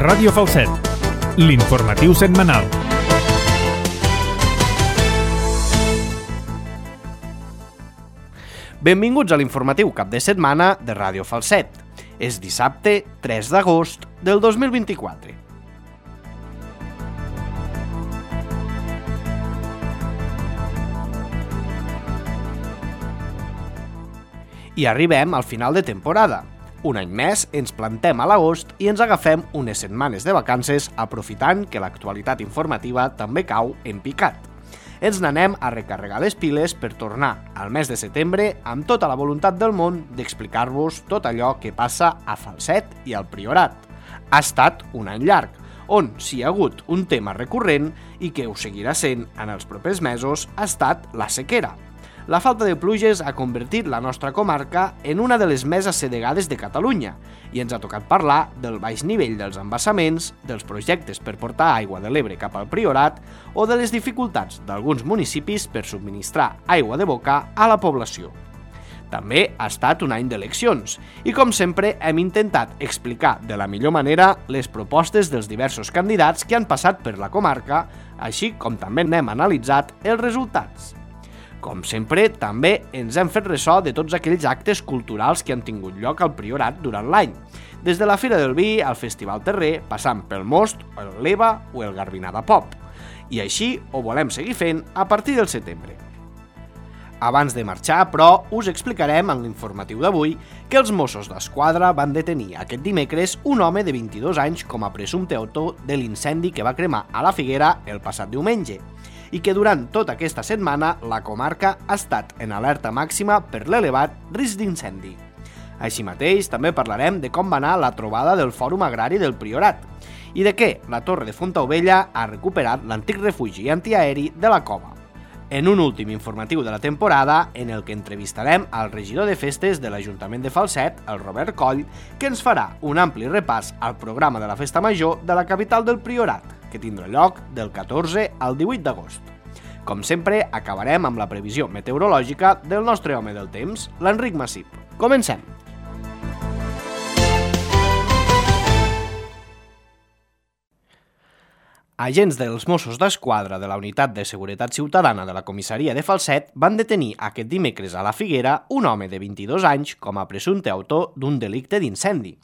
Ràdio Falset, l'informatiu setmanal. Benvinguts a l'informatiu cap de setmana de Ràdio Falset. És dissabte 3 d'agost del 2024. I arribem al final de temporada. Un any més ens plantem a l'agost i ens agafem unes setmanes de vacances aprofitant que l'actualitat informativa també cau en picat. Ens n'anem a recarregar les piles per tornar al mes de setembre amb tota la voluntat del món d'explicar-vos tot allò que passa a Falset i al Priorat. Ha estat un any llarg, on si hi ha hagut un tema recurrent i que ho seguirà sent en els propers mesos ha estat la sequera. La falta de pluges ha convertit la nostra comarca en una de les més assedegades de Catalunya i ens ha tocat parlar del baix nivell dels embassaments, dels projectes per portar aigua de l'Ebre cap al Priorat o de les dificultats d'alguns municipis per subministrar aigua de boca a la població. També ha estat un any d'eleccions i, com sempre, hem intentat explicar de la millor manera les propostes dels diversos candidats que han passat per la comarca, així com també n'hem analitzat els resultats. Com sempre, també ens hem fet ressò de tots aquells actes culturals que han tingut lloc al Priorat durant l'any, des de la Fira del Vi al Festival Terrer, passant pel Most, el Leva o el Garbinada Pop. I així ho volem seguir fent a partir del setembre. Abans de marxar, però, us explicarem en l'informatiu d'avui que els Mossos d'Esquadra van detenir aquest dimecres un home de 22 anys com a presumpte autor de l'incendi que va cremar a la Figuera el passat diumenge, i que durant tota aquesta setmana la comarca ha estat en alerta màxima per l'elevat risc d'incendi. Així mateix, també parlarem de com va anar la trobada del Fòrum Agrari del Priorat i de què la Torre de Fontaubella ha recuperat l'antic refugi antiaeri de la Cova. En un últim informatiu de la temporada, en el que entrevistarem al regidor de festes de l'Ajuntament de Falset, el Robert Coll, que ens farà un ampli repàs al programa de la Festa Major de la capital del Priorat, que tindrà lloc del 14 al 18 d'agost. Com sempre, acabarem amb la previsió meteorològica del nostre home del temps, l'Enric Massip. Comencem! Agents dels Mossos d'Esquadra de la Unitat de Seguretat Ciutadana de la Comissaria de Falset van detenir aquest dimecres a la Figuera un home de 22 anys com a presumpte autor d'un delicte d'incendi.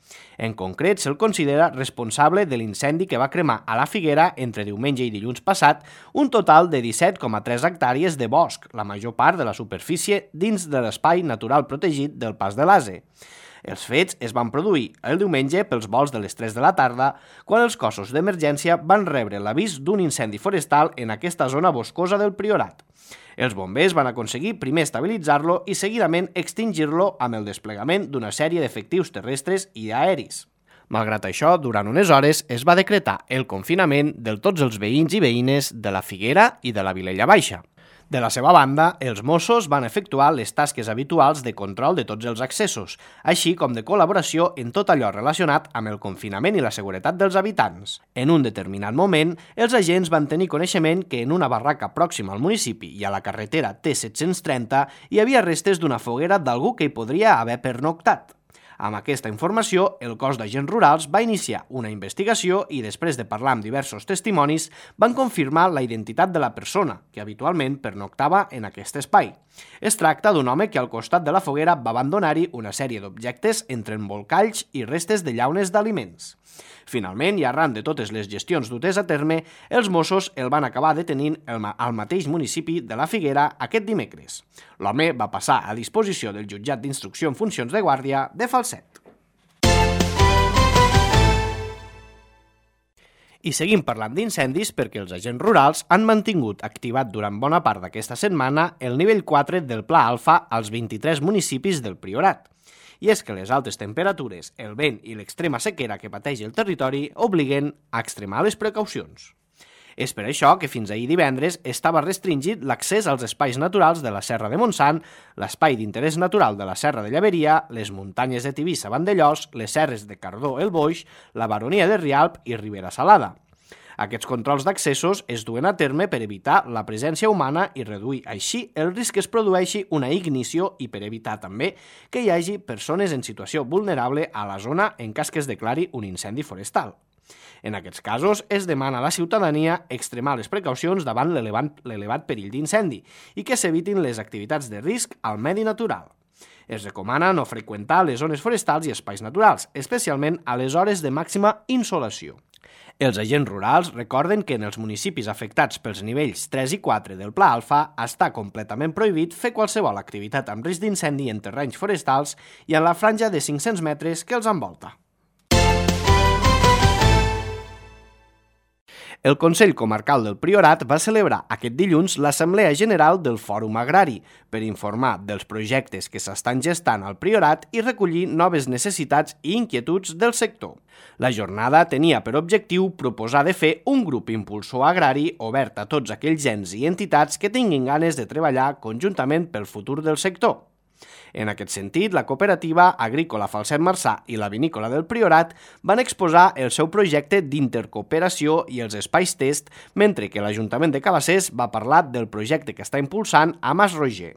En concret, se'l considera responsable de l'incendi que va cremar a la Figuera entre diumenge i dilluns passat un total de 17,3 hectàrees de bosc, la major part de la superfície dins de l'espai natural protegit del Pas de l'Ase. Els fets es van produir el diumenge pels volts de les 3 de la tarda, quan els cossos d'emergència van rebre l'avís d'un incendi forestal en aquesta zona boscosa del Priorat. Els bombers van aconseguir primer estabilitzar-lo i seguidament extingir-lo amb el desplegament d'una sèrie d'efectius terrestres i aeris. Malgrat això, durant unes hores es va decretar el confinament de tots els veïns i veïnes de la Figuera i de la Vilella Baixa. De la seva banda, els Mossos van efectuar les tasques habituals de control de tots els accessos, així com de col·laboració en tot allò relacionat amb el confinament i la seguretat dels habitants. En un determinat moment, els agents van tenir coneixement que en una barraca pròxima al municipi i a la carretera T730 hi havia restes d'una foguera d'algú que hi podria haver pernoctat. Amb aquesta informació, el cos d'agents rurals va iniciar una investigació i, després de parlar amb diversos testimonis, van confirmar la identitat de la persona que habitualment pernoctava en aquest espai. Es tracta d'un home que al costat de la foguera va abandonar-hi una sèrie d'objectes entre embolcalls i restes de llaunes d'aliments. Finalment, i arran de totes les gestions dutes a terme, els Mossos el van acabar detenint al mateix municipi de la Figuera aquest dimecres. L'home va passar a disposició del jutjat d'instrucció en funcions de guàrdia de Falset. I seguim parlant d'incendis perquè els agents rurals han mantingut activat durant bona part d'aquesta setmana el nivell 4 del Pla Alfa als 23 municipis del Priorat. I és que les altes temperatures, el vent i l'extrema sequera que pateix el territori obliguen a extremar les precaucions. És per això que fins ahir divendres estava restringit l'accés als espais naturals de la Serra de Montsant, l'espai d'interès natural de la Serra de Llaveria, les muntanyes de Tivissa-Vandellós, les serres de Cardó-El Boix, la Baronia de Rialp i Ribera Salada. Aquests controls d'accessos es duen a terme per evitar la presència humana i reduir així el risc que es produeixi una ignició i per evitar també que hi hagi persones en situació vulnerable a la zona en cas que es declari un incendi forestal. En aquests casos, es demana a la ciutadania extremar les precaucions davant l'elevat perill d'incendi i que s'evitin les activitats de risc al medi natural. Es recomana no freqüentar les zones forestals i espais naturals, especialment a les hores de màxima insolació. Els agents rurals recorden que en els municipis afectats pels nivells 3 i 4 del Pla Alfa està completament prohibit fer qualsevol activitat amb risc d'incendi en terrenys forestals i en la franja de 500 metres que els envolta. El Consell Comarcal del Priorat va celebrar aquest dilluns l'Assemblea General del Fòrum Agrari per informar dels projectes que s'estan gestant al Priorat i recollir noves necessitats i inquietuds del sector. La jornada tenia per objectiu proposar de fer un grup impulsor agrari obert a tots aquells ens i entitats que tinguin ganes de treballar conjuntament pel futur del sector. En aquest sentit, la cooperativa agrícola Falset Marçà i la vinícola del Priorat van exposar el seu projecte d'intercooperació i els espais test, mentre que l'Ajuntament de Cabassers va parlar del projecte que està impulsant a Mas Roger.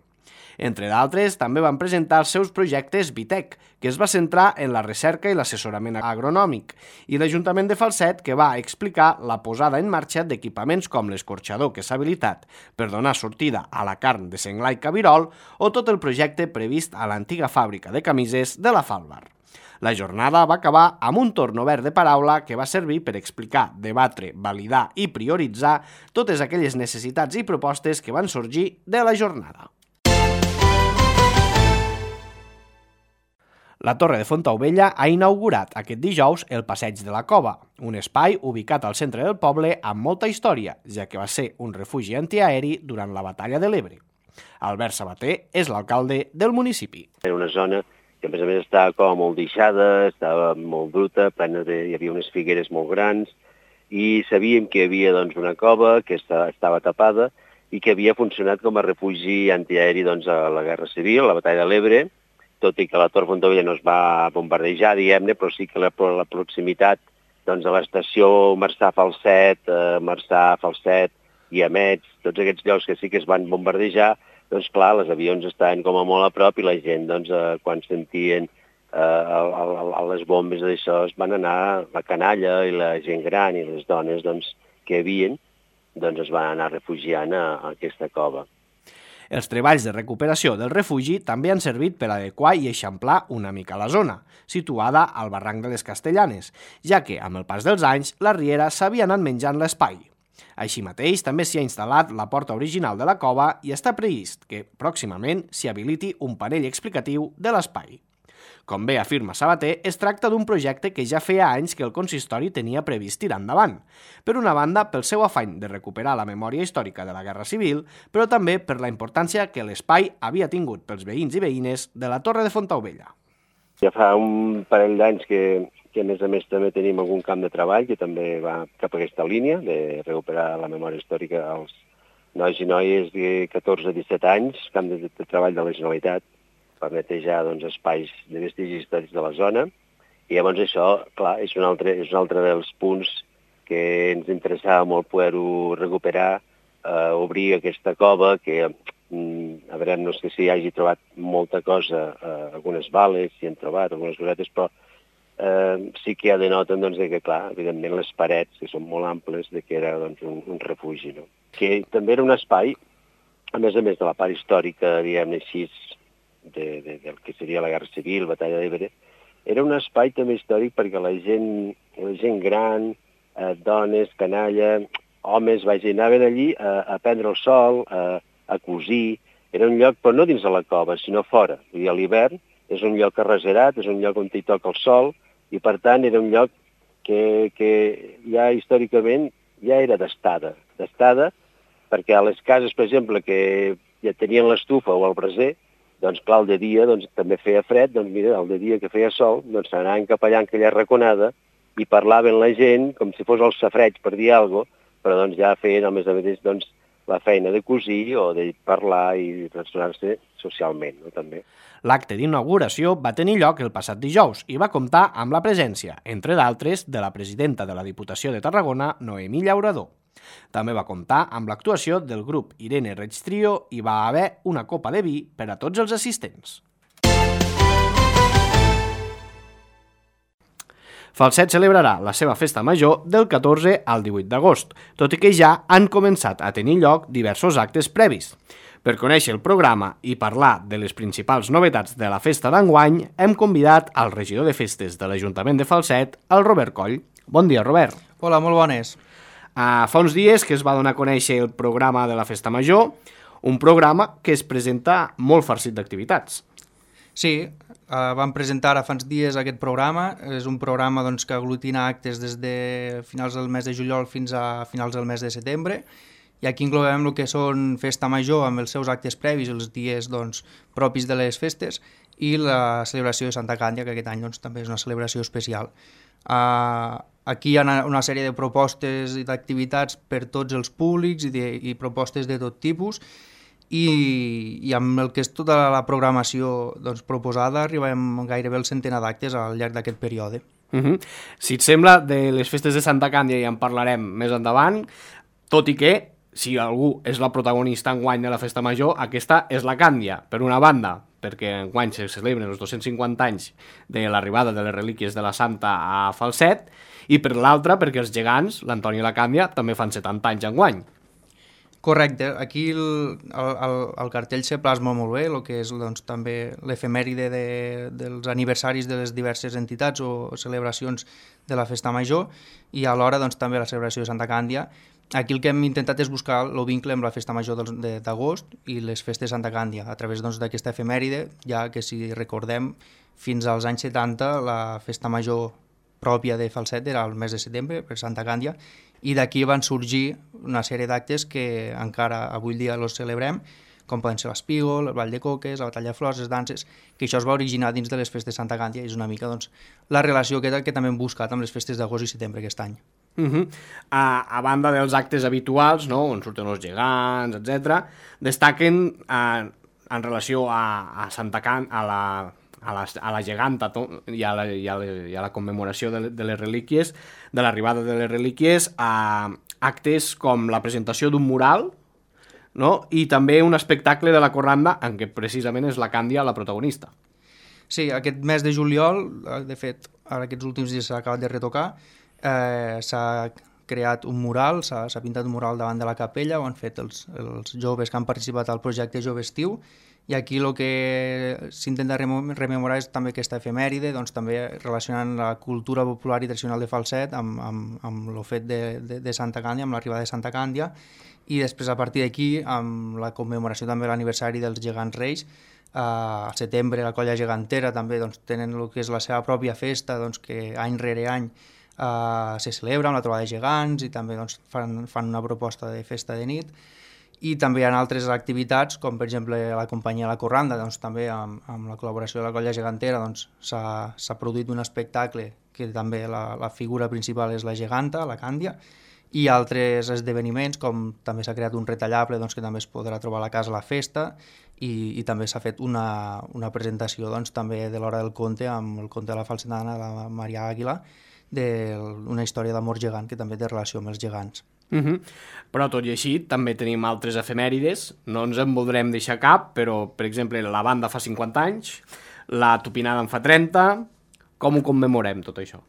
Entre d'altres, també van presentar els seus projectes Vitec, que es va centrar en la recerca i l'assessorament agronòmic, i l'Ajuntament de Falset, que va explicar la posada en marxa d'equipaments com l'escorxador que s'ha habilitat per donar sortida a la carn de senglar i cabirol o tot el projecte previst a l'antiga fàbrica de camises de la Falvar. La jornada va acabar amb un torn obert de paraula que va servir per explicar, debatre, validar i prioritzar totes aquelles necessitats i propostes que van sorgir de la jornada. La Torre de Fontaubella ha inaugurat aquest dijous el Passeig de la Cova, un espai ubicat al centre del poble amb molta història, ja que va ser un refugi antiaeri durant la Batalla de l'Ebre. Albert Sabater és l'alcalde del municipi. Era una zona que a més estava com molt deixada, estava molt bruta, hi havia unes figueres molt grans i sabíem que hi havia una cova que estava tapada i que havia funcionat com a refugi antiaeri a la Guerra Civil, a la Batalla de l'Ebre, tot i que la Torre Fontaubella no es va bombardejar, diguem-ne, però sí que la proximitat a l'estació Marçà-Falset, Marçà-Falset i Amets, tots aquests llocs que sí que es van bombardejar, clar, els avions estaven com a molt a prop i la gent, quan sentien les bombes d'això, es van anar, la canalla i la gent gran i les dones que hi havia, es van anar refugiant a aquesta cova. Els treballs de recuperació del refugi també han servit per adequar i eixamplar una mica la zona, situada al barranc de les Castellanes, ja que, amb el pas dels anys, la riera s'havia anat menjant l'espai. Així mateix, també s'hi ha instal·lat la porta original de la cova i està previst que, pròximament, s'hi habiliti un panell explicatiu de l'espai. Com bé afirma Sabater, es tracta d'un projecte que ja feia anys que el consistori tenia previst tirar endavant. Per una banda, pel seu afany de recuperar la memòria històrica de la Guerra Civil, però també per la importància que l'espai havia tingut pels veïns i veïnes de la Torre de Fontaubella. Ja fa un parell d'anys que a més també tenim algun camp de treball que també va cap a aquesta línia de recuperar la memòria històrica als nois i noies de 14 a 17 anys, camp de treball de la Generalitat, per netejar espais de vestigis històrics de la zona. I llavors això, clar, és un altre dels punts que ens interessava molt poder-ho recuperar, obrir aquesta cova, que a veure, no és que s'hi hagi trobat molta cosa, algunes bales s'hi han trobat, algunes cosetes, però sí que ja denoten que, clar, evidentment les parets, que són molt amples, que era un refugi, no? Que també era un espai, a més de la part històrica, diguem-ne així, del que seria la Guerra Civil, Batalla d'Ebre, era un espai també històric perquè la gent gran, dones, canalla, homes, anaven allí a prendre el sol, a cosir. Era un lloc, però no dins de la cova, sinó fora. Vull dir, a l'hivern és un lloc arreserat, és un lloc on hi toca el sol, i per tant era un lloc que ja històricament ja era d'estada perquè a les cases, per exemple, que ja tenien l'estufa o el braser, clar, el de dia també feia fred, mira, el de dia que feia sol, s'anaven cap allà en aquella raconada i parlaven la gent com si fos el safareig, per dir alguna cosa, però ja feien, a més, la feina de cosir o de parlar i relacionar-se socialment, no, també. L'acte d'inauguració va tenir lloc el passat dijous i va comptar amb la presència, entre d'altres, de la presidenta de la Diputació de Tarragona, Noemí Llaurador. També va comptar amb l'actuació del grup Irene Reig Trio i va haver una copa de vi per a tots els assistents. Falset celebrarà la seva festa major del 14 al 18 d'agost, tot i que ja han començat a tenir lloc diversos actes previs. Per conèixer el programa i parlar de les principals novetats de la festa d'enguany, hem convidat al regidor de festes de l'Ajuntament de Falset, el Robert Coll. Bon dia, Robert. Hola, molt bones. Fa uns dies que es va donar a conèixer el programa de la festa major, un programa que es presenta molt farcit d'activitats. Sí, vam presentar ara fa uns dies aquest programa. És un programa que aglutina actes des de finals del mes de juliol fins a finals del mes de setembre, i aquí incloem el que són festa major amb els seus actes previs, els dies propis de les festes, i la celebració de Santa Càndia, que aquest any també és una celebració especial. Aquí hi ha una sèrie de propostes i d'activitats per tots els públics i propostes de tot tipus, i amb el que és tota la programació proposada arribem gairebé al centenar d'actes al llarg d'aquest període. Si et sembla, de les festes de Santa Càndia ja en parlarem més endavant, tot i que, si algú és la protagonista enguany de la festa major, aquesta és la Càndia, per una banda, perquè enguany se celebren els 250 anys de l'arribada de les relíquies de la Santa a Falset, i per l'altra perquè els gegants, l'Antoni i la Càndia, també fan 70 anys enguany. Correcte, aquí el cartell se plasma molt bé, el que és també l'efemèride dels aniversaris de les diverses entitats o celebracions de la festa major, i alhora també la celebració de Santa Càndia. Aquí el que hem intentat és buscar el vincle amb la festa major d'agost i les festes de Santa Càndia, a través d'aquesta efemèride, ja que si recordem, fins als anys 70 la festa major pròpia de Falset era el mes de setembre, per Santa Càndia, i d'aquí van sorgir una sèrie d'actes que encara avui dia els celebrem, com poden ser l'Espígol, el Ball de Coques, la Batalla de Flors, les danses, que això es va originar dins de les festes de Santa Càndia, i és una mica la relació que també hem buscat amb les festes d'agost i setembre aquest any. A banda dels actes habituals, on surten els gegants, etc., destaquen en relació a Santa Càndia, a la geganta i a la commemoració de les relíquies, de l'arribada de les relíquies, a actes com la presentació d'un mural, i també un espectacle de la corranda en què precisament és la Càndia la protagonista. Sí, aquest mes de juliol, de fet, ara aquests últims dies s'ha acabat de retocar, s'ha creat un mural, s'ha pintat un mural davant de la capella, ho han fet els joves que han participat al projecte Jove Estiu, i aquí el que s'intenta rememorar és també aquesta efemèride, també relacionant la cultura popular i tradicional de Falset amb el fet de Santa Càndia, amb l'arribada de Santa Càndia, i després a partir d'aquí amb la commemoració també de l'aniversari dels gegants reis. Al setembre la colla gegantera també tenen el que és la seva pròpia festa, que any rere any se celebra amb la trobada de gegants, i també fan una proposta de festa de nit. I també hi ha altres activitats, com per exemple la companyia La Corranda, també amb la col·laboració de la colla gegantera s'ha produït un espectacle que també la figura principal és la geganta, la Càndia, i altres esdeveniments, com també s'ha creat un retallable que també es podrà trobar a la casa a la festa, i també s'ha fet una presentació també de l'Hora del Conte, amb el conte de la falsetana de la Maria Àguila, d'una història d'amor gegant que també té relació amb els gegants. Però tot i així també tenim altres efemèrides, no ens en voldrem deixar cap, però per exemple la banda fa 50 anys, la tupinada en fa 30, com ho commemorem tot això?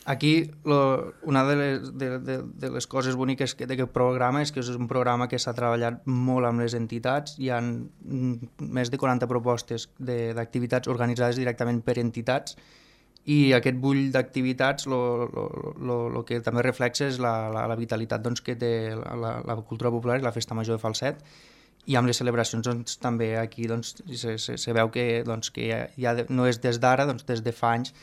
Aquí una de les coses boniques d'aquest programa és que és un programa que s'ha treballat molt amb les entitats. Hi ha més de 40 propostes d'activitats organitzades directament per entitats, i aquest bull d'activitats el que també reflexa és la vitalitat que té la cultura popular i la festa major de Falset, i amb les celebracions també aquí se veu que ja no és des d'ara, des de fa anys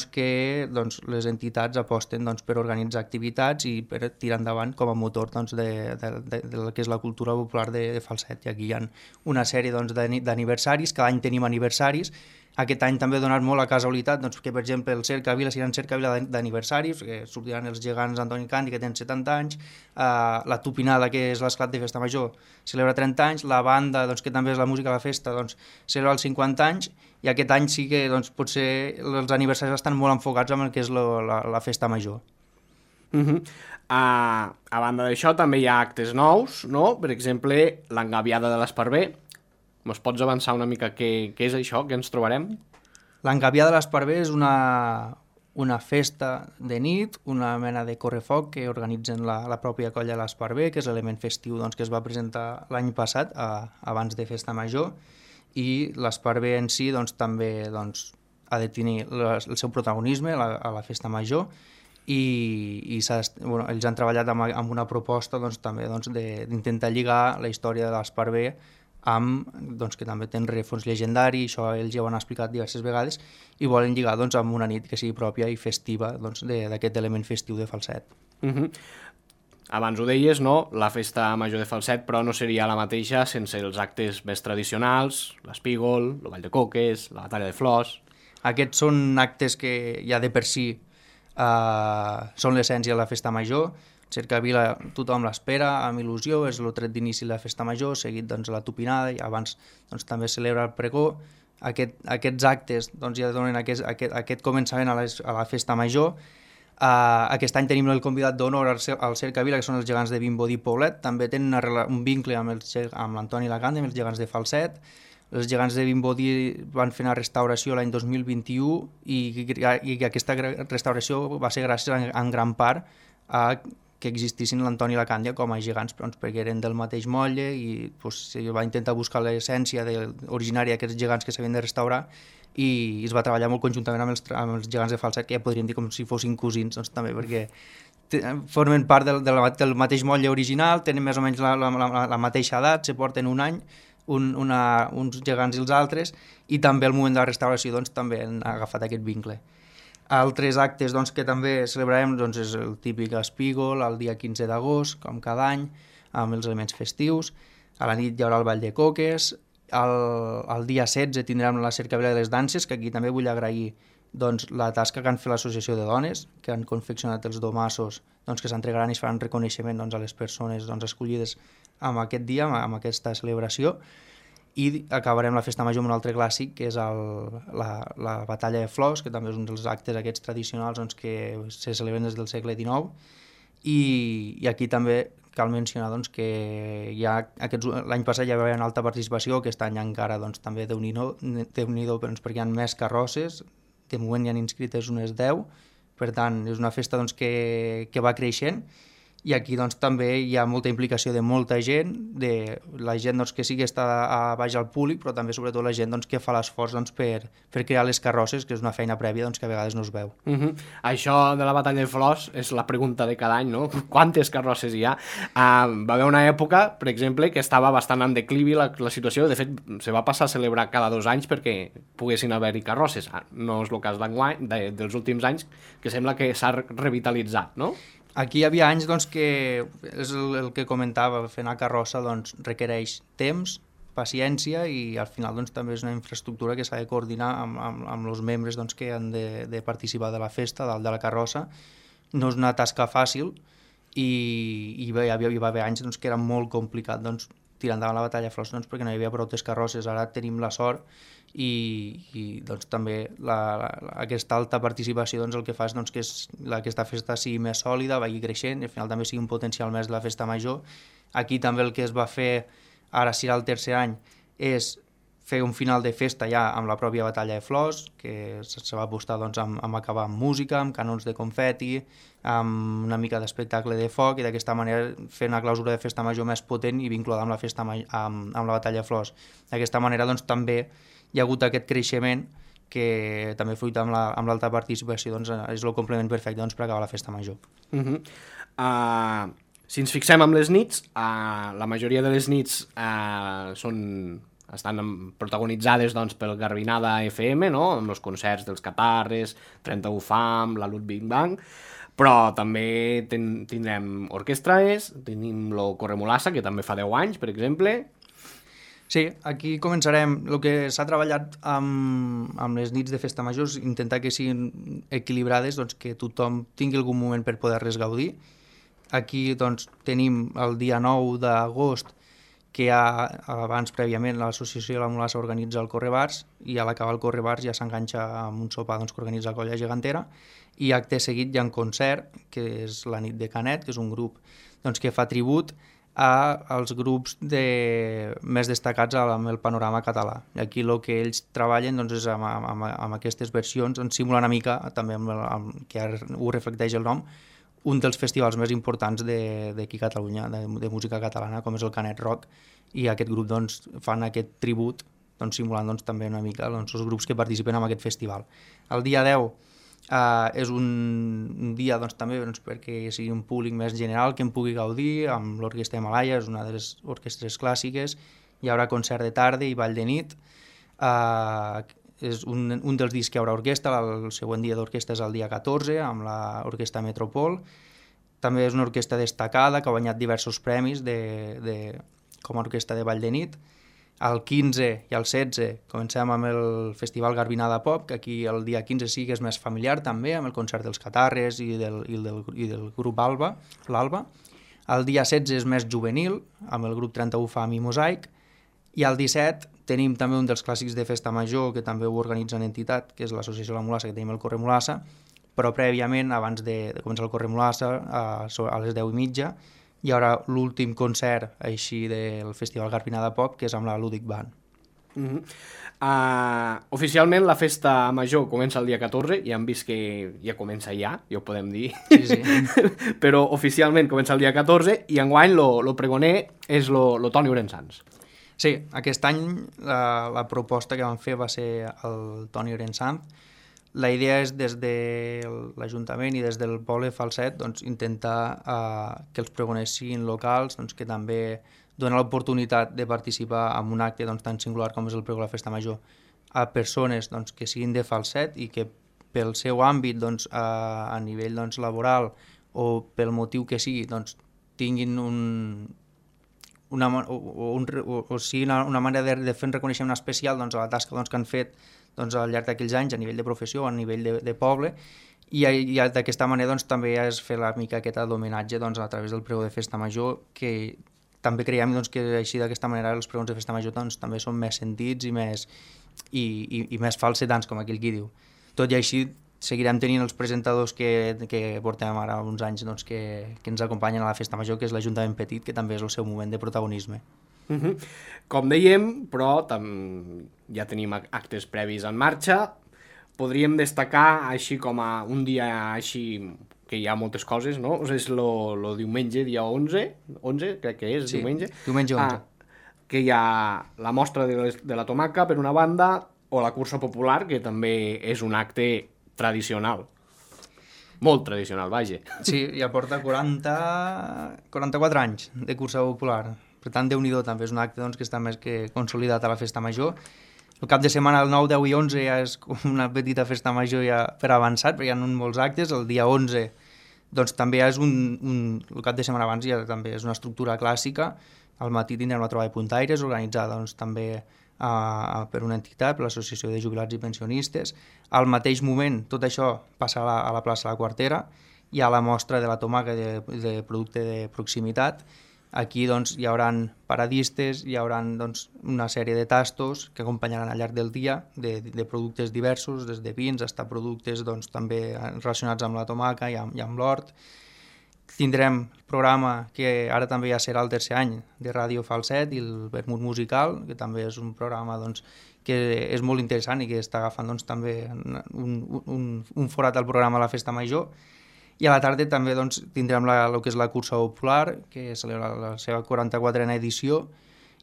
que les entitats aposten per organitzar activitats i per tirar endavant com a motor del que és la cultura popular de Falset. I aquí hi ha una sèrie d'aniversaris, cada any tenim aniversaris. Aquest any també ha donat molt la casualitat que, per exemple, el Cercavila serà un Cercavila d'aniversaris, que sortiran els gegants Antoni Càndia, que tenen 70 anys, la Tupinada, que és l'esclat de festa major, celebra 30 anys, la banda, que també és la música de la festa, celebra els 50 anys, i aquest any sí que potser els aniversaris estan molt enfocats amb el que és la festa major. A banda d'això també hi ha actes nous, no? Per exemple, l'engaviada de l'Esparver. Ens pots avançar una mica què és això, què ens trobarem? L'engaviada de l'Esparver és una festa de nit, una mena de correfoc que organitzen la pròpia colla l'Esparver, que és l'element festiu doncs, que es va presentar l'any passat, abans de Festa Major, i l'Esparver en si doncs, també doncs, ha de tenir el seu protagonisme a la Festa Major, i ells han treballat amb una proposta doncs, també doncs, d'intentar lligar la història de l'Esparver amb, doncs, que també té un rerefons llegendari, això ells ja ho han explicat diverses vegades, i volen lligar doncs, amb una nit que sigui pròpia i festiva doncs, d'aquest element festiu de Falset. Abans ho deies, no? La Festa Major de Falset, però no seria la mateixa sense els actes més tradicionals, l'espígol, el ball de coques, la batalla de flors... Aquests són actes que ja de per si són l'essència de la Festa Major. Cercavila tothom l'espera amb il·lusió, és el tret d'inici de la Festa Major, seguit doncs, la tupinada, i abans doncs, també celebra el pregó. Aquests actes doncs, ja donen aquest començament a la Festa Major. Aquest any tenim el convidat d'honor al Cercavila, que són els gegants de Vimbodí i Poblet. També tenen un vincle amb l'Antoni Lacante, amb els gegants de Falset. Els gegants de Vimbodí van fer una restauració l'any 2021 i aquesta restauració va ser gràcies en gran part a que existissin l'Antoni i la Càndia com a gegants, doncs, perquè eren del mateix motlle i doncs, va intentar buscar l'essència originària d'aquests gegants que s'havien de restaurar i es va treballar molt conjuntament amb els gegants de Falset, que ja podríem dir com si fossin cosins, doncs, també, perquè formen part del mateix motlle original, tenen més o menys la mateixa edat, se porten un any, uns gegants i els altres, i també al moment de la restauració doncs, també han agafat aquest vincle. Altres actes doncs, que també celebrarem doncs, és el típic espígol, el dia 15 d'agost, com cada any, amb els elements festius. A la nit hi haurà el ball de coques. El dia 16 tindrem la Cercavila de les Danses, que aquí també vull agrair doncs, la tasca que han fet l'Associació de Dones, que han confeccionat els domassos doncs, que s'entregaran i es faran reconeixement doncs, a les persones doncs, escollides amb aquest dia, amb aquesta celebració, i acabarem la Festa Major amb un altre clàssic, que és la Batalla de Flors, que també és un dels actes aquests tradicionals doncs, que se celebren des del segle XIX, i aquí també cal mencionar doncs, que l'any passat ja va haver una alta participació, aquest any encara doncs, també Déu-n'hi-do, perquè hi ha més carrosses, de moment hi han inscrites unes 10, per tant és una festa doncs, que va creixent, i aquí doncs, també hi ha molta implicació de molta gent, de la gent doncs, que sí que està a baix al públic, però també sobretot la gent doncs, que fa l'esforç doncs, per crear les carrosses, que és una feina prèvia doncs, que a vegades no es veu. Això de la batalla de flors és la pregunta de cada any, no? Quantes carrosses hi ha? Va haver una època, per exemple, que estava bastant en declivi la situació, de fet se va passar a celebrar cada 2 anys perquè poguessin haver-hi carrosses. No és el cas d'enguany, dels últims anys, que sembla que s'ha revitalitzat, no? Aquí hi havia anys doncs, que és el que comentava, fer una carrossa doncs, requereix temps, paciència i al final doncs, també és una infraestructura que s'ha de coordinar amb els membres doncs, que han de participar de la festa, de la carrossa. No és una tasca fàcil i hi va haver anys doncs, que era molt complicat doncs, tirar endavant la batalla de flors doncs, perquè no hi havia prou carrosses. Ara tenim la sort i doncs, també aquesta alta participació doncs, el que fa és doncs, que aquesta festa sigui més sòlida, vagi creixent i al final també sigui un potencial més de la Festa Major. Aquí també el que es va fer, ara serà el tercer any, és fer un final de festa ja amb la pròpia batalla de flors, que se va apostar doncs, amb acabar amb música, amb canons de confeti, amb una mica d'espectacle de foc, i d'aquesta manera fer una clausura de Festa Major més potent i vinculada amb la batalla de flors. D'aquesta manera doncs, també hi ha hagut aquest creixement que també fruit amb l'alta participació doncs, és el complement perfecte doncs, per acabar la Festa Major. Si ens fixem amb les nits, la majoria de les nits estan protagonitzades doncs, pel Garbinada FM, no? Amb els concerts dels Catarres, 31 Fam, la Ludwig Bang, però també tindrem orquestres, tenim el Corremolassa, que també fa 10 anys, per exemple. Sí, aquí començarem. El que s'ha treballat amb les nits de Festa Major és intentar que siguin equilibrades, doncs, que tothom tingui algun moment per poder-les gaudir. Aquí doncs, tenim el dia 9 d'agost, que abans prèviament l'associació de la Mulassa organitza el Correbars i a l'acabar el Correbars ja s'enganxa amb un sopar doncs, que organitza la Colla Gegantera, i acte seguit hi ha un concert, que és la nit de Canet, que és un grup doncs, que fa tribut als grups més destacats amb el panorama català. I aquí el que ells treballen doncs, és amb aquestes versions, en simular una mica, també que ho reflecteix el nom, un dels festivals més importants d'aquí a Catalunya, de música catalana, com és el Canet Rock, i aquest grup doncs, fan aquest tribut, doncs, simulant doncs, també una mica doncs, els grups que participen en aquest festival. El dia 10 és un dia doncs, també doncs, perquè sigui un públic més general que en pugui gaudir, amb l'Orquestra Himalaya, és una de les orquestres clàssiques, hi haurà concert de tarda i ball de nit, és un dels dies que hi haurà orquestra, el següent dia d'orquestra és el dia 14, amb l'Orquestra Metropol. També és una orquestra destacada que ha guanyat diversos premis com a orquestra de ball de nit. El 15 i el 16 comencem amb el Festival Garbinada Pop, que aquí el dia 15 sí que és més familiar també, amb el concert dels Catarres i del grup l'Alba. El dia 16 és més juvenil, amb el grup 31 Fam i Mosaic. I el 17 tenim també un dels clàssics de festa major, que també ho organitza en entitat, que és l'Associació La Mulassa, que tenim el Corre Mulassa, però prèviament, abans de començar el Corre Mulassa, a les 10:30, hi haurà l'últim concert així del Festival Garbinada Pop, que és amb la Ludic Band. Oficialment la festa major comença el dia 14, ja hem vist que ja comença ja ho podem dir, Sí. però oficialment comença el dia 14 i enguany lo pregoner és lo Toni Orensanz. Sí, aquest any la proposta que vam fer va ser el Toni Orensanz. La idea és des de l'Ajuntament i des del poble Falset doncs, intentar que els pregoners siguin locals, doncs, que també donen l'oportunitat de participar en un acte doncs, tan singular com és el pregó de la Festa Major a persones doncs, que siguin de Falset i que pel seu àmbit doncs, a nivell doncs, laboral o pel motiu que sigui doncs, tinguin una manera de fer un reconeixement especial doncs, a la tasca doncs, que han fet doncs, al llarg d'aquells anys a nivell de professió o a nivell de poble i d'aquesta manera doncs, també és fer la mica aquest d'homenatge doncs, a través del pregó de Festa Major, que també creiem doncs, que així d'aquesta manera els pregons de Festa Major doncs, també són més sentits i més falsetants, com aquell qui diu. Tot i així seguirem tenint els presentadors que portem ara uns anys doncs, que ens acompanyen a la Festa Major, que és l'Ajuntament Petit, que també és el seu moment de protagonisme. Com dèiem, però ja tenim actes previs en marxa. Podríem destacar així com a un dia així que hi ha moltes coses, no? És el diumenge, dia 11, crec que és, sí, diumenge. Diumenge 11. Que hi ha la mostra de la tomaca, per una banda, o la cursa popular, que també és un acte tradicional. Molt tradicional, vaja. Sí, ja porta 44 anys de cursa popular. Per tant, Déu-n'hi-do, també és un acte doncs, que està més que consolidat a la Festa Major. El cap de setmana, el 9, 10 i 11, ja és una petita Festa Major ja per avançat, perquè hi ha molts actes. El dia 11 doncs, també és el cap de setmana abans ja també és una estructura clàssica. Al matí tindrem la trobada de puntaires, organitzada doncs, també per una entitat, per l'Associació de Jubilats i Pensionistes. Al mateix moment, tot això passa a la plaça La Quartera, hi ha la mostra de la tomaca de producte de proximitat. Aquí doncs, hi haurà paradistes, hi haurà doncs, una sèrie de tastos que acompanyaran al llarg del dia de productes diversos, des de vins fins a productes doncs, també relacionats amb la tomaca i amb l'hort. Tindrem el programa que ara també ja serà el tercer any de Ràdio Falset i el Vermut Musical, que també és un programa doncs, que és molt interessant i que està agafant doncs, també un forat al programa a la Festa Major. I a la tarda també doncs, tindrem el que és la cursa popular, que celebra la seva 44a edició,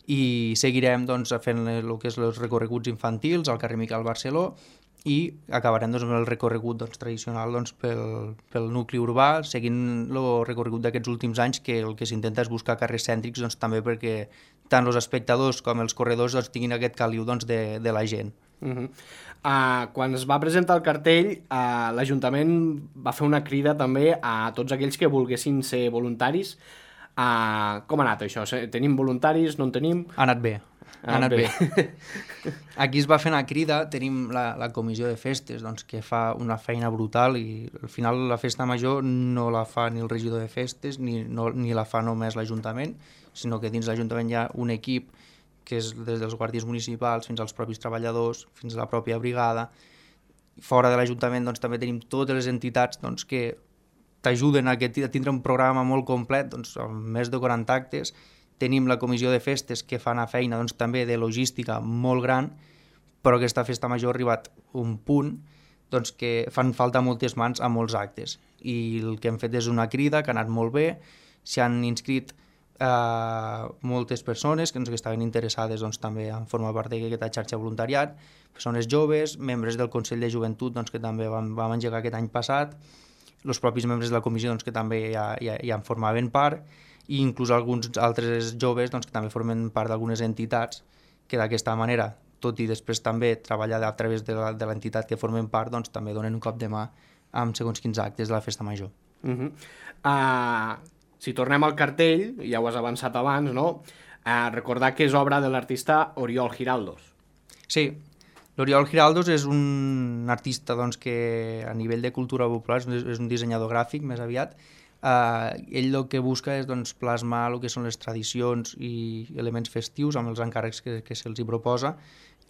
i seguirem doncs, fent el que és els recorreguts infantils al carrer Miquel Barceló i acabarem doncs, amb el recorregut doncs, tradicional doncs, pel nucli urbà, seguint el recorregut d'aquests últims anys, que el que s'intenta és buscar carrers cèntrics doncs, també perquè tant els espectadors com els corredors doncs, tinguin aquest caliu doncs, de la gent. Quan es va presentar el cartell, l'Ajuntament va fer una crida també a tots aquells que volguessin ser voluntaris. Com ha anat això? Tenim voluntaris? No en tenim? Ha anat bé. Ha anat bé. Aquí es va fer una crida, tenim la comissió de festes doncs, que fa una feina brutal i al final la festa major no la fa ni el regidor de festes ni la fa només l'Ajuntament, sinó que dins l'Ajuntament hi ha un equip que és des dels guàrdies municipals fins als propis treballadors, fins a la pròpia brigada. Fora de l'Ajuntament doncs, també tenim totes les entitats doncs, que t'ajuden a tindre un programa molt complet, doncs, amb més de 40 actes. Tenim la comissió de festes que fa una feina doncs, també de logística molt gran, però aquesta festa major ha arribat a un punt doncs, que fan falta moltes mans a molts actes. I el que hem fet és una crida que ha anat molt bé, s'hi han inscrit moltes persones que estaven interessades doncs, també en formar part d'aquesta xarxa voluntariat, persones joves, membres del Consell de Joventut doncs, que també vam engegar aquest any passat, els propis membres de la comissió doncs, que també ja en formaven part, i inclús alguns altres joves doncs, que també formen part d'algunes entitats que d'aquesta manera, tot i després també treballar a través de l'entitat que formen part, doncs també donen un cop de mà amb segons quins actes de la festa major. Si tornem al cartell, ja ho has avançat abans, no? Recordar que és obra de l'artista Oriol Giraldos. Sí, l'Oriol Giraldos és un artista doncs, que a nivell de cultura popular és un dissenyador gràfic més aviat. Ell el que busca és doncs, plasmar el que són les tradicions i elements festius amb els encàrrecs que se'ls hi proposa,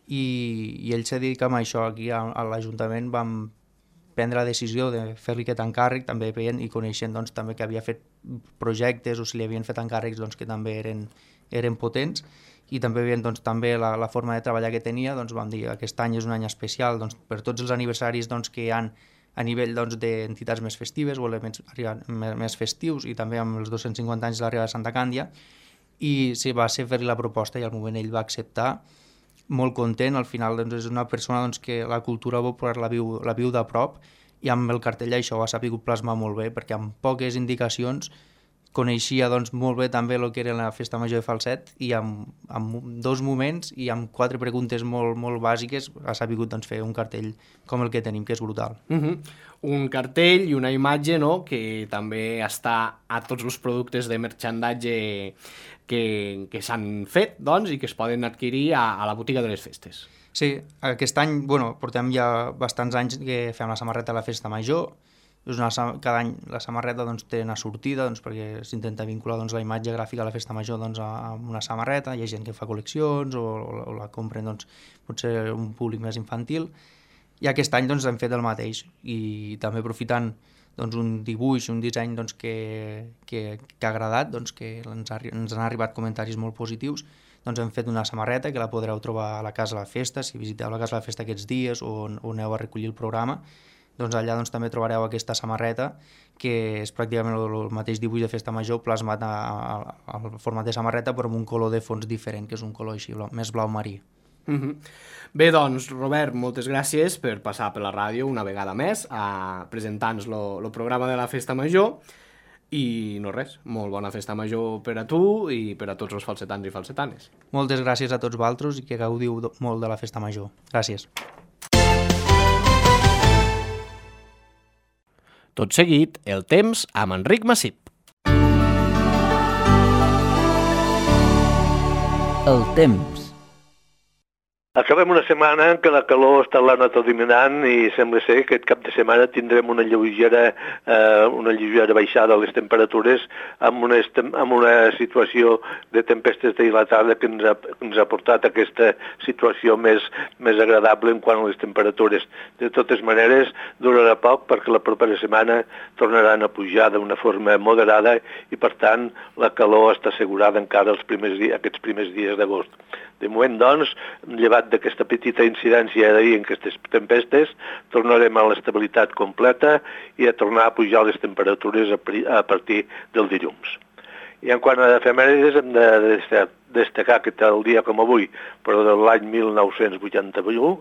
i ell se dedica a això. Aquí a l'Ajuntament vam prendre la decisió de fer-li aquest encàrrec, també veient i coneixent doncs, també que havia fet projectes o si li havien fet encàrrecs doncs, que també eren potents, i també veient doncs, també la forma de treballar que tenia, doncs, vam dir que aquest any és un any especial doncs, per tots els aniversaris doncs, que hi ha a nivell doncs, d'entitats més festives o elements més festius, i també amb els 250 anys de l'arribada de Santa Càndia, i sí, va ser fer-li la proposta i al moment ell va acceptar, molt content. Al final doncs, és una persona doncs, que la cultura popular la viu de prop, i amb el cartell això ho ha sapigut plasmar molt bé, perquè amb poques indicacions coneixia doncs, molt bé també el que era la festa major de Falset, i amb 2 moments i amb 4 preguntes molt, molt bàsiques ha sapigut doncs, fer un cartell com el que tenim, que és brutal. Un cartell i una imatge, no?, que també està a tots els productes de merchandatge que s'han fet doncs, i que es poden adquirir a la botiga de les festes. Sí, aquest any portem ja bastants anys que fem la samarreta a la festa major. Cada any la samarreta doncs, té una sortida doncs, perquè s'intenta vincular doncs, la imatge gràfica a la festa major doncs, a una samarreta. Hi ha gent que fa col·leccions o la compren doncs, potser un públic més infantil, i aquest any doncs, hem fet el mateix, i també aprofitant doncs, un dibuix, un disseny doncs, que ha agradat, doncs, que ens han arribat comentaris molt positius, doncs hem fet una samarreta que la podreu trobar a la Casa de la Festa. Si visiteu la Casa de la Festa aquests dies o aneu a recollir el programa, doncs allà doncs, també trobareu aquesta samarreta, que és pràcticament el mateix dibuix de festa major plasmat al format de samarreta, però amb un color de fons diferent, que és un color així, més blau marí. Bé, doncs, Robert, moltes gràcies per passar per la ràdio una vegada més a presentar-nos el programa de la festa major, i no res, molt bona festa major per a tu i per a tots els falsetans i falsetanes. Moltes gràcies a tots vosaltres i que gaudiu molt de la festa major. Gràcies. Tot seguit, el temps amb Enric Massip. El temps. Acabem una setmana en què la calor està anat dominant i sembla ser que aquest cap de setmana tindrem una lleugera baixada de les temperatures amb una situació de tempestes dilatada que ens ha portat a aquesta situació més agradable en quant a les temperatures. De totes maneres, durarà poc perquè la propera setmana tornaran a pujar d'una forma moderada i, per tant, la calor està assegurada encara aquests primers dies d'agost. De moment, doncs, llevat d'aquesta petita incidència d'ahir en aquestes tempestes, tornarem a l'estabilitat completa i a tornar a pujar les temperatures a partir del dilluns. I en quant a efemèrides, hem de destacar que tal dia com avui, però de l'any 1981,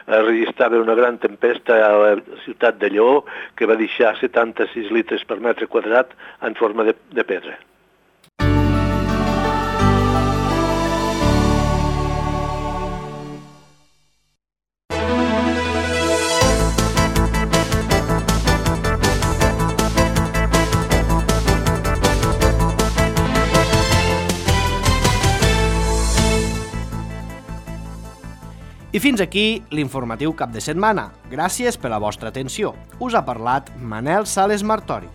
es registrava una gran tempesta a la ciutat de Lleó que va deixar 76 litres per metre quadrat en forma de pedra. I fins aquí l'informatiu cap de setmana. Gràcies per la vostra atenció. Us ha parlat Manel Sales Martori.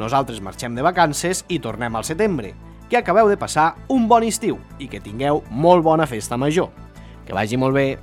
Nosaltres marxem de vacances i tornem al setembre. Que acabeu de passar un bon estiu i que tingueu molt bona festa major. Que vagi molt bé.